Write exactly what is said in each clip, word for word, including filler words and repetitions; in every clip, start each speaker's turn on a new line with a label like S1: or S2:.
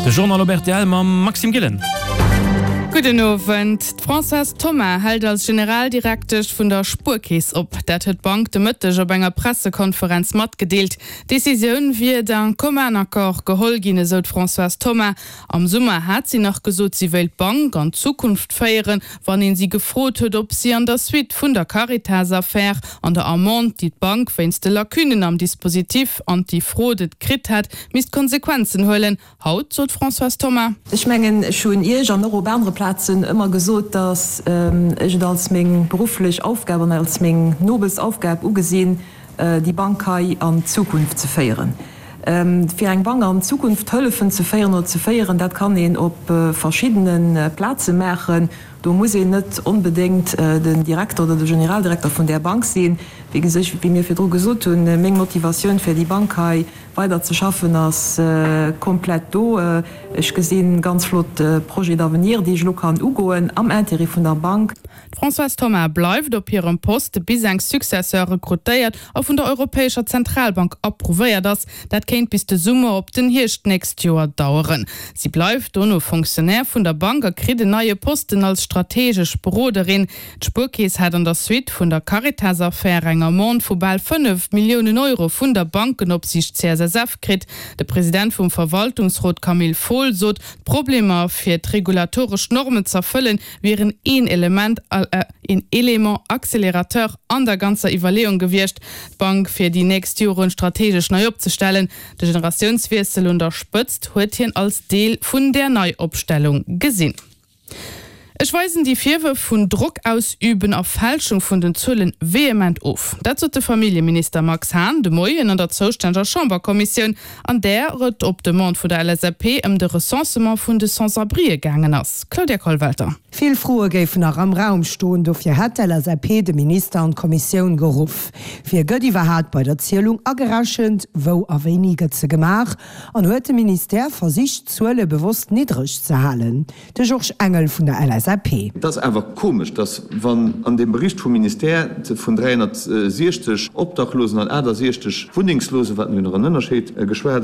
S1: De Journal op rtl mam Maxime Gillen.
S2: Gudden Owend. D'Françoise Thoma hält als Generaldirektesch vun der Spuerkeess op. Dat huet d'Bank de Mëtteg op enger Pressekonferenz matgedeelt. D'Decisioun wier d'un commun accord geholl ginn, esou d'Françoise Thoma. Am Summer hat si nach gesot, si wéilt d'Bank an d'Zukunft féieren, wann een si gefrot huet, ob si an der Suite vun der Caritas-Affär an der Amende, déi d'Bank wéinst de Lacunnen am Dispositif anti-fraude kritt hat, misst Konsequenzen huelen. Haut sot d'Françoise Thoma.
S3: Ech mengen, ech hunn Iech an och op anere Plazen ëmmer gesot, datt ech et als meng berufflech Aufgab an als meng nobelst Aufgab ugesinn, déi Bank hei an d'Zukunft ze féieren. Fir eng Bank an d'Zukunft hëllefen ze féieren oder ze féieren, dat kann een op verschiddene Plaze maachen. Do muss een net onbedéngt den Direkter oder de Generaldirekter vun där Bank sinn. Wéi gesech, wéi mir virdru gesot hunn, meng Motivatioun fir déi Bank hei weider ze schaffen ass komplett do. Ech gesi ganz flott Projets d'avenir, déi ech elo kann ugoen am Intérêt vun der Bank.
S2: D'Françoise Thoma bleift op hirem Poste bis eng Successeur rekrutéiert a vun der Europäescher Zentralbank approuvéiert ass. Dat kéint bis de Summer op den Hierscht d'nächst Joer daueren. Si bleift dono Fonctionnaire vun der Bank a kritt en neie Posten als strategesch Beroderin. D'Spuerkeess hat an der Suite vun der Caritas-Affär eng Amende vu bal fënnef Milliounen Euro vun der Bankenopsiicht C S S F kritt. De President vum Verwaltungsrot Camille Fohl sot, d'Problemer fir d'regulatoresch Normen z'erfëllen wieren een Element, een Élément accélérateur an der ganzer Iwwerleeung gewiescht, d'Bank fir déi nächst Joren strategesch nei opzestellen. De Generatiounswiessel un der Spëtzt huet hien als Deel vun där Neiopstellung gesinn. Ech weisen déi Virwërf vun Drock ausüben a Fälschung vun den Zuelen vehement of. Dat sot de Familljeminister Max Hahn de Moien an der zoustänneger Chamberkommissioun, an där et op Demande vun der L S A P ëm de Recensement vun de Sans-abrien gaangen ass. Claudia Kollwelter.
S4: Vill Froe géifen nach am Raum stoen, dofir hätt d'L S A P de Minister an d'Kommissioun geruff. Wie gëtt iwwerhaapt bei der Zielung agerechent, wou a wéini gëtt se gemaach an huet de Ministère versicht, d'Zuele bewosst niddreg ze halen. De Georges Engel vun der L S A P.
S5: Et ass awer komesch, datt wann an dem Bericht vum Ministère vun dräihonnertsiechzeg Obdachlosen an achtasiechzeg Wunnengslosen, wat jo nach en Ënnerscheed geschwat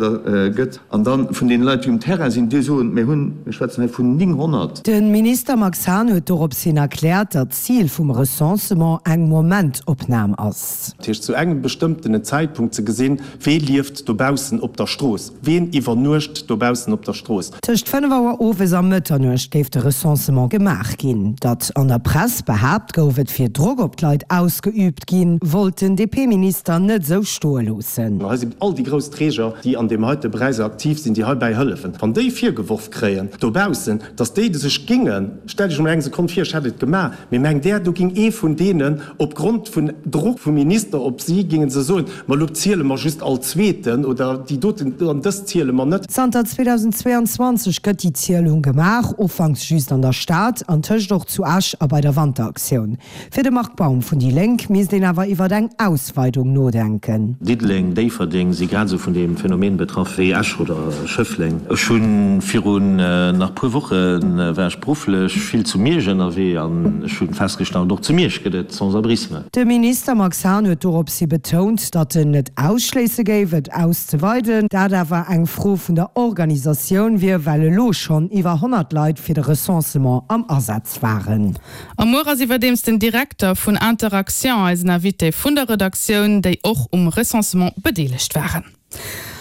S5: gëtt, an dann vun den Leit, déi um Terrain sinn, déi soen, mir hunn, mir schwätzen hei vun nénghonnert.
S4: De Minister Max Hahn huet dorops hin erkläert, datt d'Zil vum Recensement eng Momentopnam ass.
S6: Dat heescht, zu engem bestëmmtenen Zäitpunkt ze gesinn, wee lieft dobaussen op der Strooss, ween iwwernuecht dobaussen op der Strooss.
S4: Tëscht fënnef Auer owes a Mëtternuecht géif de Recensement gemaach ginn. Datt an der Press behaapt gouf, et wier Drock op d'Leit ausgeüübt ginn, wollt den D P-Minister net esou stoe loossen.
S6: Hei sinn all déi grouss Träger, déi an deem heite Beräich aktiv sinn, déi heibäi hëllefen. Wann déi virgeworf kréien dobaussen, datt déi sech gingen, stell dech emol eng Sekonn vir, ech hätt et gemaach, mee mengt där, do ging ee vun deenen opgrond vun Drock vum Minister op si, gingen se soen, ma lo ziele mer just all Zweeten oder déi doten an dës ziele mer net.
S4: Zanter zweetausendzweiundzwanzeg gëtt déi Zielung gemaach, ufanks just an der Stad, an tëscht och zu Esch a bei der Wanteraktioun. Fir de Marc Baum vun déi Lénk misst een awer iwwer eng Ausweidung nodenken.
S7: Diddeleng, Déifferdeng si grad esou vun deem Phänomen betraff wéi Esch oder Schëffleng. Ech hunn virun nach puer Woche war ech berufflech vill zu Miersch ënnerwee an ech hunn festgestallt, och zu Miersch gëtt et Sans-abrisme.
S4: De Minister Max Hahn huet dorops hi betount, datt en net ausschléisse géif, et auszeweiden, dat awer eng Fro vun der Organisatioun wier, well elo schonn iwwer honnert Leit fir de Recensement am Asaz waren.
S2: Am Muer ass iwwerdeems den Direkter vun Interaction eisen Invité vun der Redaktioun, déi och um Recensement bedeelegt waren.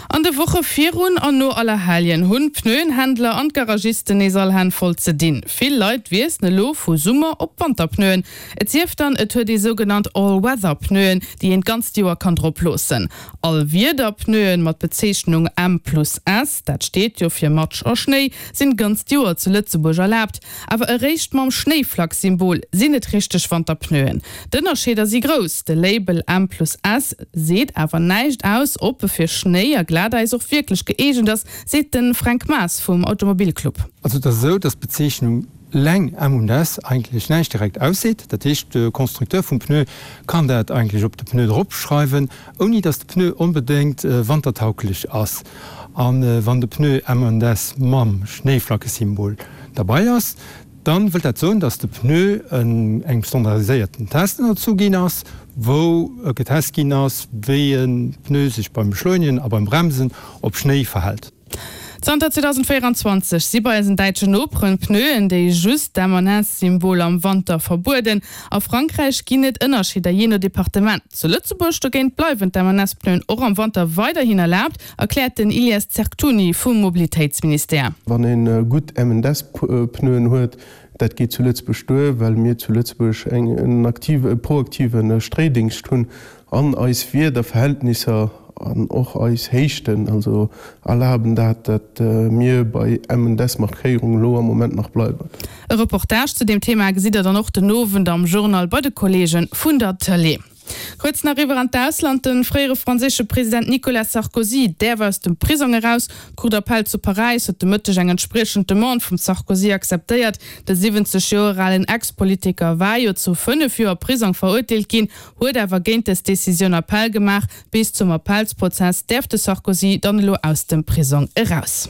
S2: An de Woche virun an no Allerheiljen hunn d'Pneuenhändler an d'Garagisten nees all Hänn voll ze dinn. Vill Leit wiesselen elo vu Summer op Wanterpneuen. Et sief dann, et huet ee sougenannt All-Weather-Pneuen, déi een d'ganzt Joer kann drop loossen. All-Wieder-Pneuen mat Bezeechnung M plus S, dat steet jo fir Matsch a Schnéi, sinn d'ganzt Joer zu Lëtzebuerg erlaabt. Awer eréischt mam Schnéiflack-Symbol sinn et richteg Wanterpneuen. D'Ënnerscheeder si grouss. De Label M plus S seet awer näischt aus, ob e fir Schnéi a Glatäis och wierklech gëeegent ass, seet de Fränk Maas vum Automobilclub.
S8: Also et ass esou, dass d'Bezeechnung leng M und S eigentlech näischt direkt ausseet. Dat heescht, de Constructeur vum Pneu kann dat eigentlech op de Pneu dropschreiwen, ouni dass de Pneu onbedéngt wantertauglech ass. An wann de Pneu M und S mam Schnéiflackesymbol dabei ass, dann wëllt dat soen, dass de Pneu engem standardiséierten Test ënnerzu ginn ass, wou getest ginn ass, wéi e Pneu sech beim Beschleunigen a beim Bremsen op Schnéi verhält.
S2: Zanter zweedausendvéierenzwanzeg si bei eisen däitschen Noperen Pneuen, déi just d'M-an-S-Symbol am Wanter verbueden. A Frankräich ginn et Ënnerscheeder jee no Departement. Zu Lëtzebuerg dogéint bleiwen d'M-an-S-Pneuen och am Wanter weiderhin erlaabt, erkläert den Ilias Zerktouni vum Mobilitéitsministère.
S9: Wann ee gutt M-and-S-Pneuen huet, dat geet zu Lëtzebuerg duer, well mir zu Lëtzebuerg en aktive, e proaktive Stréidingscht hunn an eis Wiederverhältnisser an och eis Héichten also erlaben dat, dat mir bei M-and-S-Markéierung elo am Moment nach bleiwen.
S2: E Reportage zu deem Thema gesitt der dann och den Owend am Journal bei de Kolleege vun der Tëlee. Kuerz nach eriwwer an d'Ausland, De fréiere franséische President Nicolas Sarkozy däerf aus dem Prisong eraus. D'Cour d'appel zu Paräis huet de Mëtteg eng entspriechend Demande vum Sarkozy akzeptéiert. De siwwenzeg Joer alen Ex-Politiker war jo zu fënnef Joer Prisong verurteelt ginn, huet awer géint dës Decisioun Appell gemaach. Bis zum Appellsprozess däerf de Sarkozy dann elo aus dem Prisong eraus.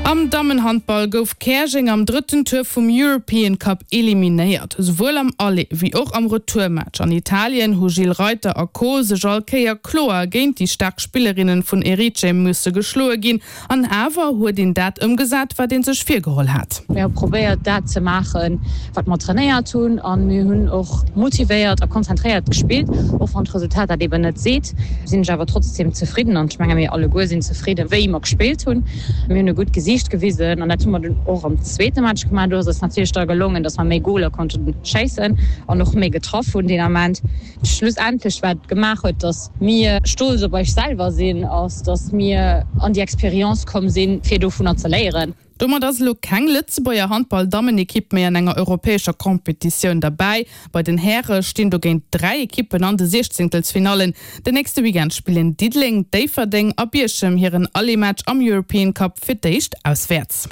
S2: Am Dammenhandball gouf Käerjeng am drëtten Tour vum European Cup eliminéiert. Souwuel am Aller wéi och am Retourmatch an Italien hu Gilles Reiter a Co sech all Kéier kloer géint déi staark Spillerinne vun Erice musse geschloe ginn. An awer huet een dat ëmgesat, wat ee sech virgeholl hat.
S10: Mir hu probéiert dat ze maachen, wat mer trainéiert hunn a mir hunn och motivéiert a konzentréiert gespillt. Och wann d'Resultat dat eben net seet, sinn ech awer trotzdeem zefridden an ech menge mir alleguer sinn zefridden, wéi mer gespillt hunn. Mir hunn e gutt Gesiicht gewisen an dat hu mer dunn och am zweete Match gemaach. Do ass eis natierlech da gelongen, datt mer méi Goler konnte schéissen an och méi getraff hunn deen Ament. Schlussendlech wat gemaach huet, datt mir stolz op eis selwer sinn, ass, datt mir an déi Experience komm sinn, fir dovunner ze léieren.
S2: Domat ass elo keng Lëtzebuerger Handball-Dammenekipp méi an enger europäescher Competitioun derbäi. Bei den Häre stinn dogéint dräi Ekippen an de Siechzéngtelsfinallen. Den nächste Weekend spillen Diddeleng, Déifferdeng a Bierchem hiren Aller-Match am European Cup fir d'éischt auswäerts.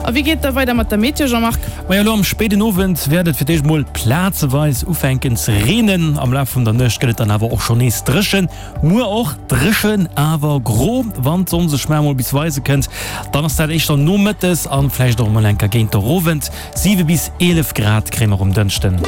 S2: A wéi geet et da weider mat der Meteo, Jean-Marc?
S1: Majo, elo am spéiden Owend wäert et fir d'éischt mol plazeweis ufänken ze reenen. Am Laf vun der Nuecht gëtt et dann awer och schonn nees dréchen. Muer och dréchen, awer gro. Wann d'Sonn sech mar emol bis weise kënnt, dann ass dat éischter nomëttes an vläicht och emol eng Kéier géint der Owend. Siwe bis eelef Grad kréie mer um Dënschden.